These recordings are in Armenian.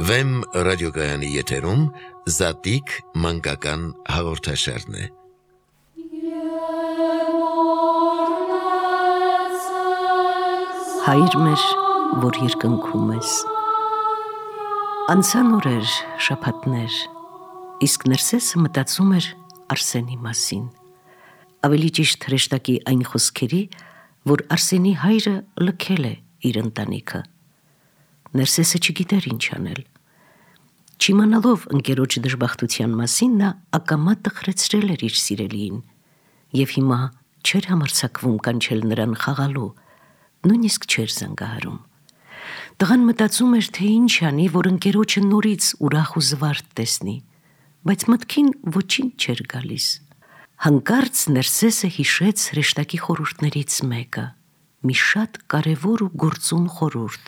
Վեմ ռադիոգայանի եթերում Զատիկ մանկական հաղորդաշարն է։ Հայր մեր, որ երկնքում ես։ Անցան օրեր, շաբաթներ, իսկ Ներսեսը մտածում էր Արսենի մասին։ Ավելի ճիշտ հրեշտակի այն խոսքերի, որ Արսենի հայրը լքել է իր ընտանիքը։ Ներսեսը չգիտեր ինչ անել։ Չիմանալով ընկերոջ դժբախտության մասին, նա ակամա տխրեցրել էր իր սիրելիին և հիմա չէր համարձակվում կանչել նրան խաղալու, նույնիսկ չէր զանգահարում։ Տղան մտածում էր, թե ինչ անի, որ ընկերոջը նորից ուրախ ու զվարթ տեսնի, բայց մտքին ոչինչ չէր գալիս։ Հանկարծ Ներսեսը հիշեց հրեշտակի խորհուրդներից մեկը, մի շատ կարևոր ու գործուն խորհուրդ.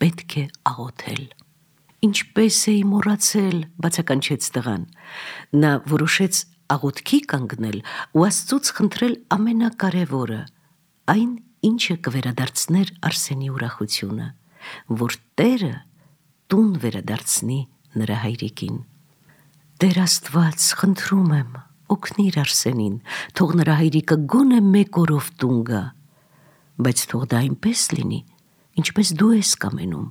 պետք է աղոթել։ Ինչպես էի մոռացել, բացականչեց տղան։ Նա որոշեց աղոթքի կանգնել ու Աստծուց խնդրել ամենակարևորը, այն, ինչը կվերադարձներ Արսենի ուրախությունը, որ Տերը տուն վերադարձնի նրա հայրիկին։ Տեր Աստված, խնդրում եմ, օգնիր Արսենին, թող նրա հայրիկը գոնե մեկ օրով տուն գա, բայց թող դա այնպես լինի, ինչպես դու ես կամենում,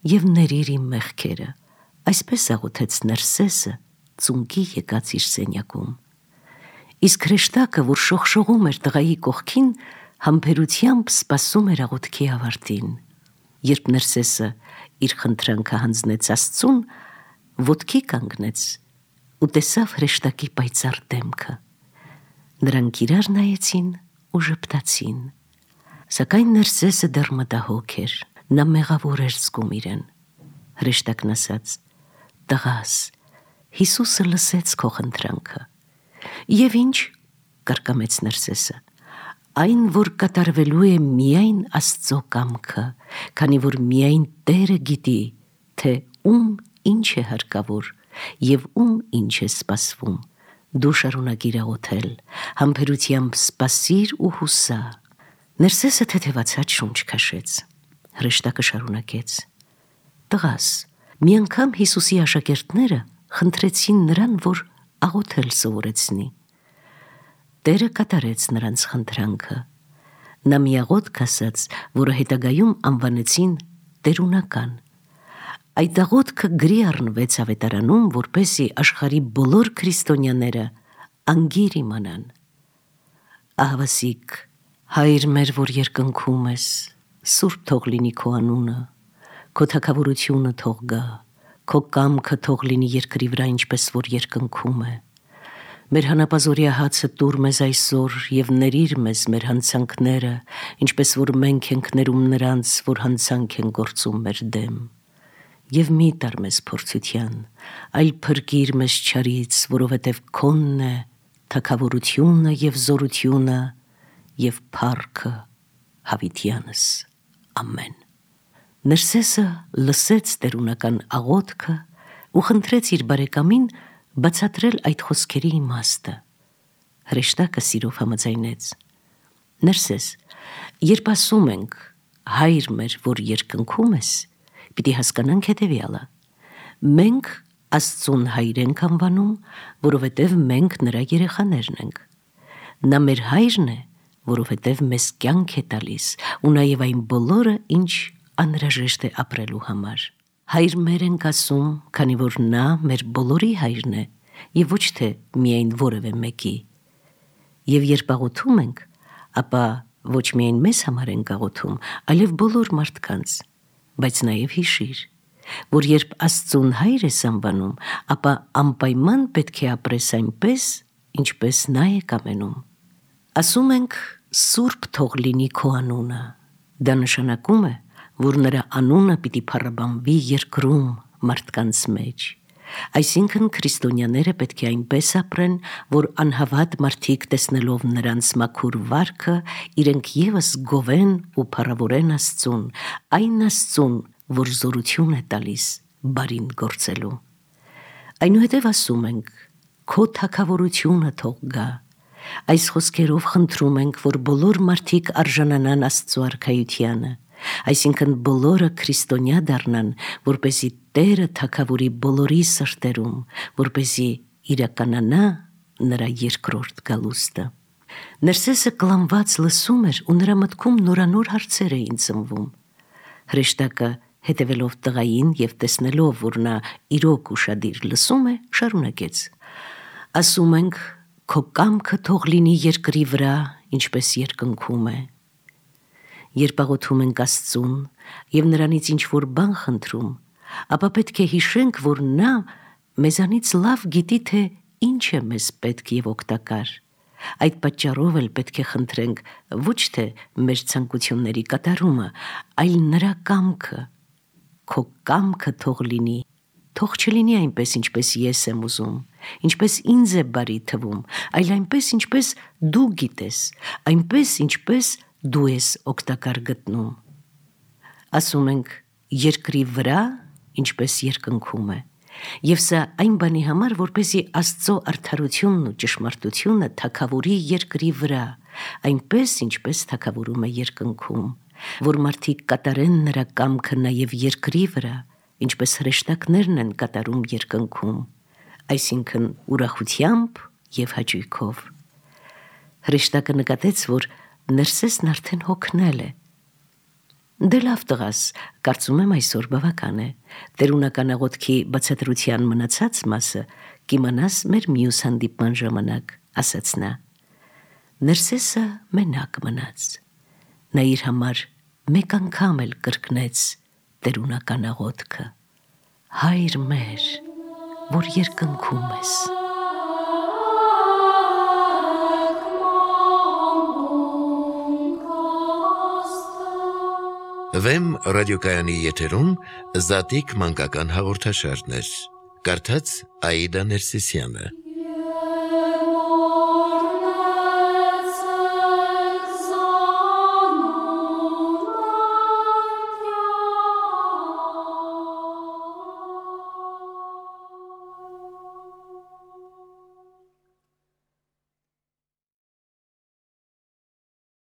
և ներիր իմ մեղքերը, այսպես աղոթեց Ներսեսը ծունկի եկած իր սենյակում։ Իսկ հրեշտակը, որ շողշողում էր տղայի կողքին, համբերությամբ սպասում էր աղոթքի ավարտին։ Երբ Ներսեսը իր խնդրանքը հանձնեց Աստծուն, ոտքի կանգնեց ու տեսավ հրեշտակի պայծառ դեմքը։ Նրանք իրար նայեցին ու ժպտացին, սակայն Ներսեսը դեռ մտահոգ էր, նա մեղավոր էր զգում իրեն։ Հրեշտակն ասաց. «Տղաս, Հիսուսը լսեց քո խնդրանքը»։ «Եվ ինչ», կարկամեց Ներսեսը, «այն, որ կատարվելու է միայն Աստծո կամքը, քանի որ միայն Տերը գիտի, թե ում ինչ է հարկավոր և ում ինչ է սպասվում։ Դու շարունակիր աղոթել, համբերությամբ սպասիր ու հուսա»։ Ներսեսը թեթևացած շունչ քաշեց։ Հրեշտակը շարունակեց. «Տղաս, մի անգամ Հիսուսի աշակերտները խնդրեցին նրան, որ աղոթել սովորեցնի։ Տերը կատարեց նրանց խնդրանքը։ Նա մի աղոթք ասաց, որը հետագայում անվանեցին տերունական։ Այդ աղոթքը գրի առնվեց ավետարանում, որպեսզի աշխարհի բոլոր քրիստոնյաները անգիր իմանան. Ահավասիկ, Հայր մեր, որ երկնքում ես, սուրբ թող լինի քո անունը, քո թագավորությունը թող գա, քո կամքը թող լինի երկրի վրա, ինչպես որ երկնքում է։ Մեր հանապազօրյա հացը տուր մեզ այսօր և ներիր մեզ մեր հանցանքները, ինչպես որ մենք ենք ներում նրանց, որ հանցանք են գործում մեր դեմ։ Եվ մի տար մեզ փորձության, այլ փրկիր մեզ չարից, որովհետև քոնն է թագավորությունը և զորությունը և փառքը հավիտյանս։ Ամեն։ Ներսեսը լսեց տերունական աղոթքը ու խնդրեց իր բարեկամին բացատրել այդ խոսքերի իմաստը։ Հրեշտակը սիրով համաձայնեց. Ներսես, երբ ասում ենք Հայր մեր, որ երկնքում ես, պիտի հասկանանք հետևյալը. մենք Աստծուն Հայր ենք անվանում, որովհետև մենք նրա երեխաներն ենք։ Նա մեր Հայրն է, որովհետև մեզ կյանք է տալիս ու նաև այն բոլորը, ինչ անհրաժեշտ է ապրելու համար։ Հայր մեր ենք ասում, քանի որ նա մեր բոլորի Հայրն է և ոչ թե միայն որևէ մեկի։ Եվ երբ աղոթում ենք, ապա ոչ միայն մեզ համար ենք աղոթում, այլև բոլոր մարդկանց, բայց նաև հիշիր, որ երբ Աստծուն Հայր ես անվանում, ապա անպայման պետք է ապրես այնպես, ինչպես նա է կամենում։ Ասում ենք սուրբ թող լինի քո անունը։ Դա նշանակում է, որ նրա անունը պիտի փառաբանվի երկրում մարդկանց մեջ։ Այսինքն քրիստոնյաները պետք է այնպես ապրեն, որ անհավատ մարդիկ տեսնելով նրանց մաքուր վարքը, իրենք ևս գովեն ու փառավորեն Աստծուն, այն Աստծուն, որ զորություն է տալիս բարին գործելու։ Այնուհետև ասում ենք. քո թագավորությունը թող գա։ Այս խոսքերով խնդրում ենք, որ բոլոր մարդիկ արժանանան Աստծո արքայությանը, Այսինքն բոլորը քրիստոնյա դառնան, որպեսզի Տերը թագավորի բոլորի սրտերում, որպեսզի իրականանա նրա երկրորդ գալուստը։ Ներսեսը կլանված լսում էր ու նրա մտքում նորանոր հարցեր էին ծնվում։ Հրեշտակը, հետևելով տղային և տեսնելով, որ նա իրոք ուշադիր լսում է, շարունակեց. «Ասում ենք, քո կամքը թող լինի երկրի վրա, ինչպես երկնքում է։ Երբ աղոթում ենք Աստծուն և նրանից ինչ-որ բան խնդրում, ապա պետք է հիշենք, որ նա մեզանից լավ գիտի, թե ինչ է մեզ պետք և օգտակար։ Այդ պատճառով էլ պետք է խնդրենք ոչ թե մեր ցանկությունների կատարումը, այլ նրա կամքը։ Քո կամքը թող լինի, թող չլինի այնպես, ինչպես ես եմ ուզում, ինչպես ինձ է բարի թվում, այլ այնպես, ինչպես դու գիտես, այնպես, ինչպես դու ես օգտակար գտնում։ Ասում ենք, երկրի վրա, ինչպես երկնքում է։ Եվ սա այն բանի համար, որպեսզի Աստծո արդարությունն ու ճշմարտությունը թագավորի երկրի վրա, այնպես, ինչպես թագավորում է երկնքում, որ մարդիկ կատարեն նրա կամքը նաև երկրի վրա, ինչպես հրեշտակներն են կատարում երկնքում, այսինքն ուրախությամբ և հաճույքով։ Հրեշտակը նկատեց, որ Ներսեսն արդեն հոգնել է։ Դե լավ տղաս, կարծում եմ այսօր բավական է։ Տերունական աղոթքի բացատրության մնացած մասը կիմանաս մեր մյուս հանդիպման ժամանակ, ասաց նա։ Ներսեսը մենակ մնաց։ Նա իր համար մեկ անգամ էլ կրկնեց տերունական աղոթքը. Հայր մեր, որ երկնքում ես։ Վեմ ռադիոկայանի եթերում Զատիկ մանկական հաղորդաշարներ։ Կարդաց Աիդա Ներսիսյանը։